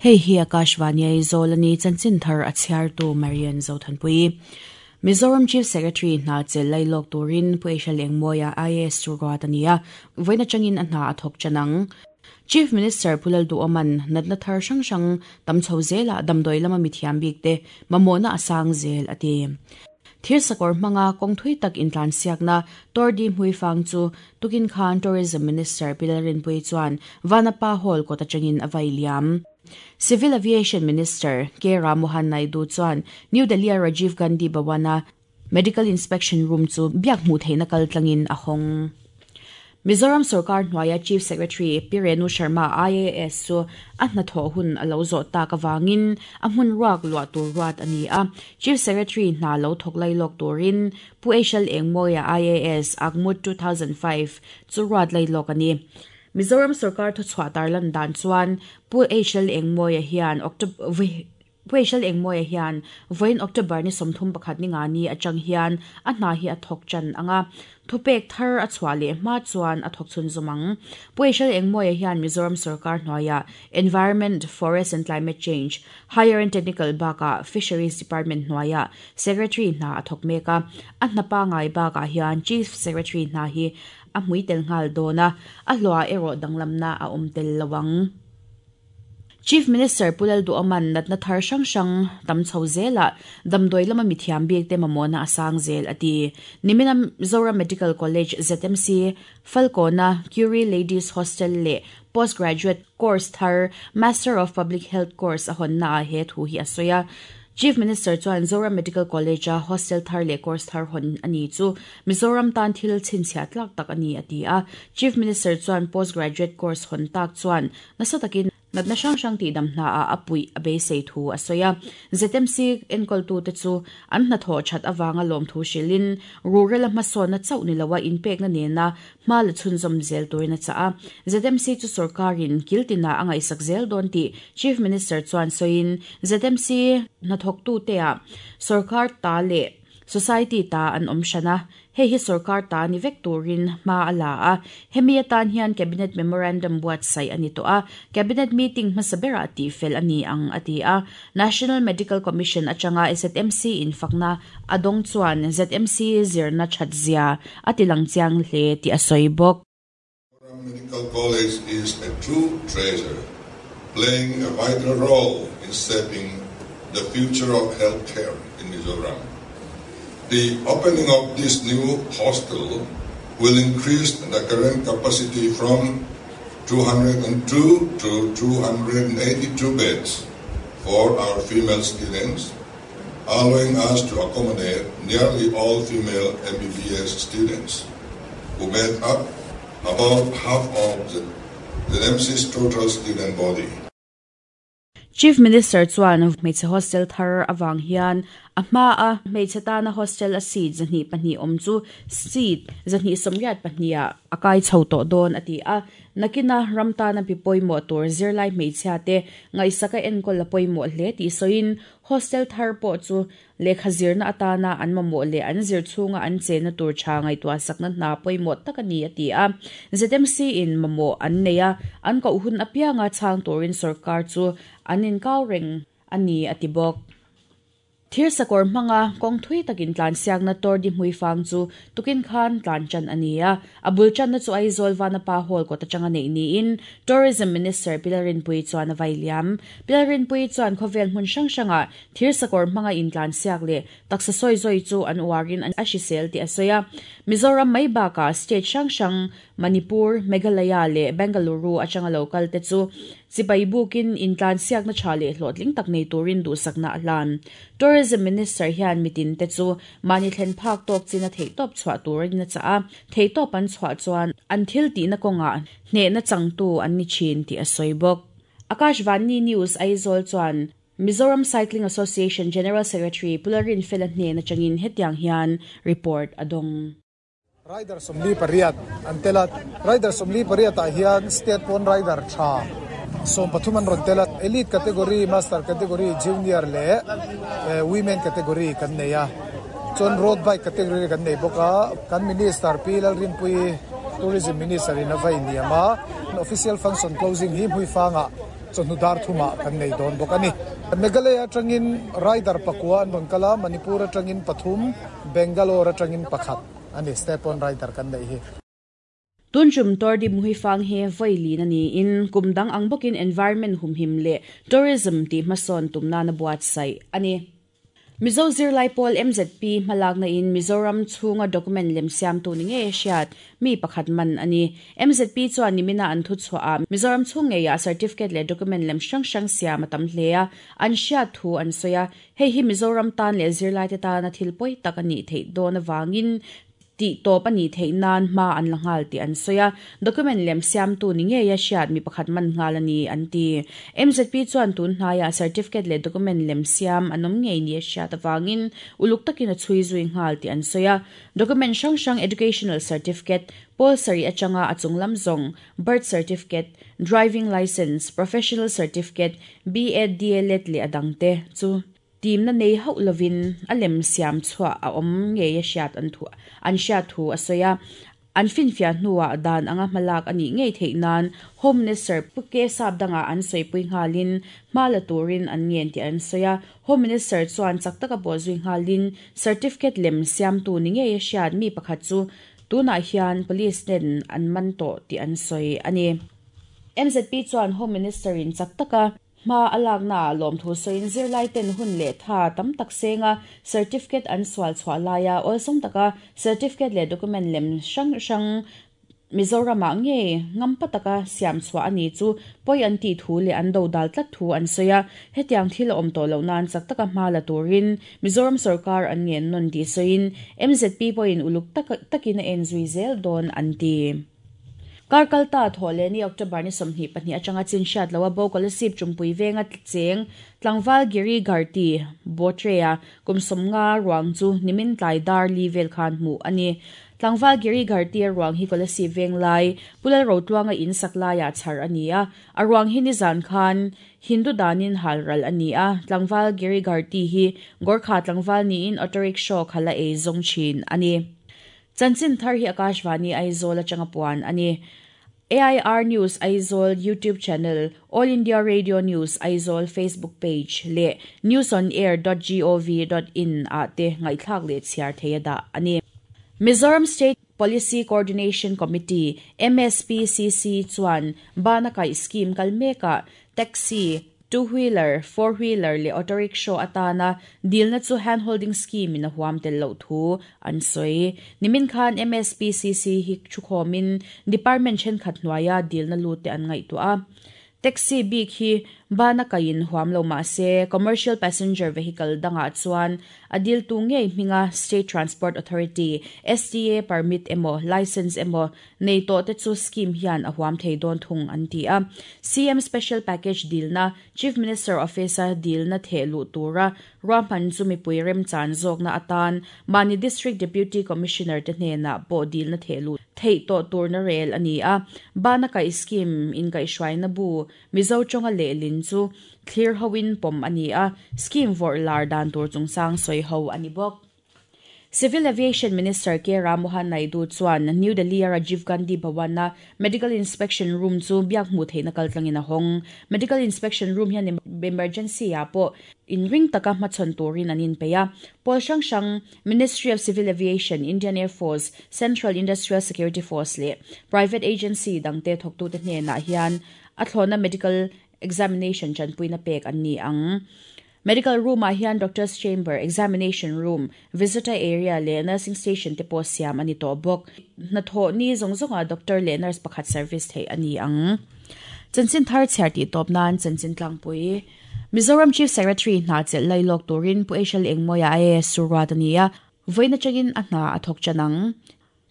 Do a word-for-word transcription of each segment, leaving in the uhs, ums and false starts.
Hei hi Akashvani Aizawl ani chanchin thar a chhiartu Marian Zothanpui. Mizoram Chief Secretary hna chel lailawk turin Pu H L Engmawia I A S chu ruat ania voina changin a hna a thawk chanang. Chief Minister Pu Lalduhoma'n natna thar hrang hrang tam chho zela damdawi lama mithiam bik te mamawhna a sang zel a ti. Thir sakawr hmanga kawng thui tak intlan siakna Tour de Hmuifang chu tukin khan Tourism Minister Pi Lalrinpuii chuan Vanapa Hall kawt atangin a vai liam. Civil Aviation Minister K Rammohan Naidu chuan New Delhi a Rajiv Gandhi Bhawana Medical Inspection Room chu biak hmuh theihna kal tlangin a hawng. Mizoram Sarkar hnuaia Chief Secretary Pi Renu Sharma I A S chu a hnathawh hun a lo zawh tak awangin a hmun ruak luah tur ruat a ni a. Chief Secretary hna lo thawk lailawk turin Pu H L Engmawia I A S Akmut two thousand five chu ruat lailawk a ni. Mizoram Sarkar thu chhuah tarlan dan chuan Pu H L Engmawia hian October Pu H L Engmawia hian vawiin October ni sawmthum pakhat ni nga ni atang hian a hna hi a thawk chan anga thupek thar a chhuah leh hma chuan a thawk chhun zawmang. Pu H L Engmawia hian Mizoram Sarkar hnuaia Environment, Forest and Climate Change, Higher and Technical baka Fisheries Department hnuaia Secretary hna a thawk mek a a hnapa ngai bakah hian Chief Secretary hna hi a hmui tel nghal dawna a hlawh erawh danglamna a awm tel lowang. Chief Minister Pu Lalduhoma'n natna thar hrang hrang tam chho zela damdawi lama mithiam bik te mamawhna a sang zel a ti. Nimina Mizoram Medical College Z M C Falkona Curie Ladies Hostel leh Postgraduate Course thar Master of Public Health Course a hawnna a he thu hi a sawi a. Chief Minister chuan Zoram Medical College a hostel thar leh course thar hawn ani chu Mizoram tan thil chhinchhiah tlak tak ani a ti a. Chief Minister chuan postgraduate course hawn tak chuan nasa takin natna hrang hrang tih dam hna a a pui a beisei thu a sawi a. Z M C enkawl tu te chu an hnathawh that awanga lawm thu hrilin rural a hmasawnna chauh ni lowa inpekna nena hma la chhunzawm zel turin a chah a. Z M C chu sarkarin kiltina a ngaihsak zel dawn tih Chief Minister chuan sawiin Z M C hnathawk tu te a sarkar ta leh society ta an awm hrana hei hi sarkar ta ni vek turin hma a la a hemi atan hian cabinet memorandum buatsaih ani tawh a cabinet meeting hmasa berah tih fel ani ang a ti a. National Medical Commission atanga Z M C in fakna a dawng chuan Z M C zirna that zia a tilang chiang hle tih a sawi bawk. Medical College is a true treasure, playing a vital role in shaping the future of healthcare in Mizoram. The opening of this new hostel will increase the current capacity from two hundred two to two hundred eighty-two beds for our female students, allowing us to accommodate nearly all female M B B S students, who made up about half of the, the Z M C's total student body. Chief Minister chuan hmeichhe hostel thar awang hian a hma a hmeichhe tana hostel a seat zahnih pahnih awm chu seat zahnih sawmriat pahnih ah a kai chho tawh dawn a ti a nakina ram tana pi pawimawh tur zirlai hmeichhia te ngaihsaka enkawl a pawimawh hle tih sawiin hostel thar pawh chu lehkha zirna atana an mamawh leh an zir chhunga an chenna tur tha ngaihtuah sakna hna pawimawh tak ani a ti a. Z M C in mamawh an nei a an koh hun apianga chhang turin sarkar chu an inkau reng ani a ti bawk. Thir sakawr hmanga kawng thui takin tlan siakna Tour de Hmuifang chu tukin khan tlan chan ani a a bul channa chu Aizawl Vanapa Hall kawt atanga nei niin Tourism Minister Pi Lalrinpuii chuan a vai liam. Pi Lalrinpuii chuan khawvel hmun hrang hranga thir sakawr hmanga in tlan siak leh taksa sawi zawi chu an uarin a hrisel tih a sawi a. Mizoram mai bakah state hrang hrang Manipur, Meghalaya leh Bengaluru atanga local te chu chipai bukin intlan siakna tha leh hlawhtling tak nei turin duhsakna a hlan. Tourism Minister hian mitin te chu mani thlen phak tawk china theihtawp chhuah turin a chah a theihtawp an chhuah chuan an thil tihna kawnga hnehna changtu an ni thin tih a sawi bawk. Akashvani News Aizawl chuan Mizoram Cycling Association General Secretary Pu Lalrinfela hnen atangin hetiang hian report a dawng. Rider sawmli pariat an tela rider sawmli pariat ah hian state pawn rider tha sawm pathum an rawn tela elite category, master category, junior leh women category kan nei a chuan road bike category kan nei bawk a. Kan Minister Pi Lalrinpuii, Tourism Minister in a vai niam a official function closing hi Hmuifanga chawhnu dar thumah kan nei dawn bawk a ni. Meghalaya atangin rider pakua an rawn kal a, Manipur atangin pathum, Bangalore atangin pakhat ani state pawn rider kan nei hi. Tunchum Tordi Muhifang he voili na ni in kumdang ang bokin environment humhim le tourism ti mason tumna na buat sai ani. Mizo Zirlai Pawl M Z P malak na in Mizoram chhunga document lem siam tu ni nge hriat mi pakhat man ani. M Z P chuan nimina an thu chhuah a Mizoram chhung nge ya certificate le document lem hrang hrang siam a tam hle a an hriat thu an sawi a hei hi Mizoram tan le zirlai te tana thil pawi tak ani thei dawn awangin ti top ani thei nan ma an langal ti an soya document lem siam tu ni nge ya hriat mi pakhat man ngal ani an ti. M Z P chuan tun hnaya certificate le document lem siam anom nge ni hriat awangin uluk takin a chui zui ngal ti an soya document hrang hrang educational certificate pol sari achanga achung lam zong birth certificate driving license professional certificate B Ed D El Ed le adangte chu team na nei hau lovin alem siam chua a om nge ya hriat an thu an hriat thu asoya an fin fia hnuwa dan anga malak ani ngei thei nan home minister puke sap danga an soi pui ngalin mala turin an ngen ti an soya home minister chuan chaktaka bo zui ngalin certificate lem siam tu ni nge ya hriat mi pakhat chu tuna hian police nen an man to ti an soi ani. M Z P chuan home minister in chaktaka ma alak na lom thu soin zirlai ten hun le tha tam tak senga certificate an swal chwa laya olsum taka certificate le document lem hrang hrang Mizoram ah nge ngam pataka siam chwa ani chu poi an ti thu le an do dal tlat thu an soya hetiang thil om to lo nan chak taka ma la turin Mizoram sarkar an ngen non di soin M Z P poin uluk tak takin en zui zel don an ti. Karkalta thole ni October ni somni pahnih atanga chin hriat lowa bo kolasip chumpui venga cheng tlangval Giri Gharti Botrea kumsom nga ruang chu nimin tlai dar level khan mu ani. Tlangval Giri Gharti ruang hi kolasip veng lai pulal ro tluanga in saklaya char ania a ruang hi ni zan khan Hindu danin halral ania tlangval Giri Gharti hi Gorkha tlangval ni in auto rickshaw khala e zong chin ani. Chanchin thar hi Akashvani Aizawl atanga puan ani. A I R News Aizawl YouTube channel, All India Radio News Aizawl Facebook page le news on air dot gov dot in a te ngaithlak le chhiar theia ani. Mizoram State Policy Coordination Committee M S P C C chuan bana kai scheme kalmeka taxi two-wheeler, four-wheeler le auto rickshaw atana deal na chu hand-holding scheme in a huam tel lo thu an soi. Nimin khan M S P C C hi chukhomin department chen khat hnuaia deal na lu te an ngai tu a. Taxi bik hi bana kain huam lo ma se commercial passenger vehicle danga chuan adil tu ngei hminga State Transport Authority S T A permit emo license emo nei to te chu scheme hian a huam thei don thung an ti a. C M special package deal na Chief Minister Office deal na thelu tura rampan chu mipui rem chan zawk na atan mani District Deputy Commissioner te hnena po deal na thelu thei to tur na rel ani a. Bana kai scheme in kai hruai na bu Mizo chonga le lin chu clear hoin pom ani a scheme vor lar dan tur chung sang soi ho ani bok. Civil Aviation Minister K Ramohan Naidu chuan New Delhi Rajiv Gandhi Bhawana Medical Inspection Room chu biak mu theina kaltlangin a hong. Medical Inspection Room hian emergency a po in ring taka hmachhawn turin an in peia. Pawl hrang hrang Ministry of Civil Aviation, Indian Air Force, Central Industrial Security Force le private agency dangte thawktu te hnenah hian a thlawna medical examination chanpuina pek an ni ang. Medical room ah hian doctor's chamber, examination room, visitor area le nursing station te pawh siam ani tawh bawk. Hnathawh ni zawng zawnga doctor le nurse pakhat service thei ani ang. Chanchin thar chhiar tih tawp nan chanchin tlangpui. Mizoram Chief Secretary hna chelh lailawk turin Pu Eshal Engmawia A S Surat ani a. Vawiin atangin a hna a thawk chanang.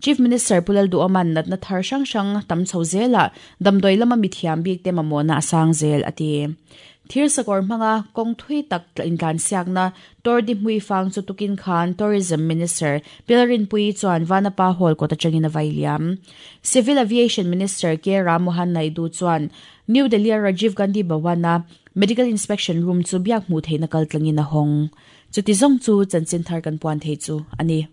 Chief Minister Pulal Duoman natna thar hrang hrang tam chho zela damdoi lama mithiam bik te mamawhna a sang zel ati. Thir sakawr hmanga kawng thui tak intlan siakna Tordi Hmui Fang chu tukin khan Tourism Minister Pilarin Pui chuan Vanapa Hall kawt atangin a vailiam. Civil Aviation Minister K Ramohan Naidu chuan New Delhi Rajiv Gandhi Bhawana Medical Inspection Room chu biak hmu theina kaltlangin a hawng. Chuti zawng chu chanchin thar kan puan thei chu ani.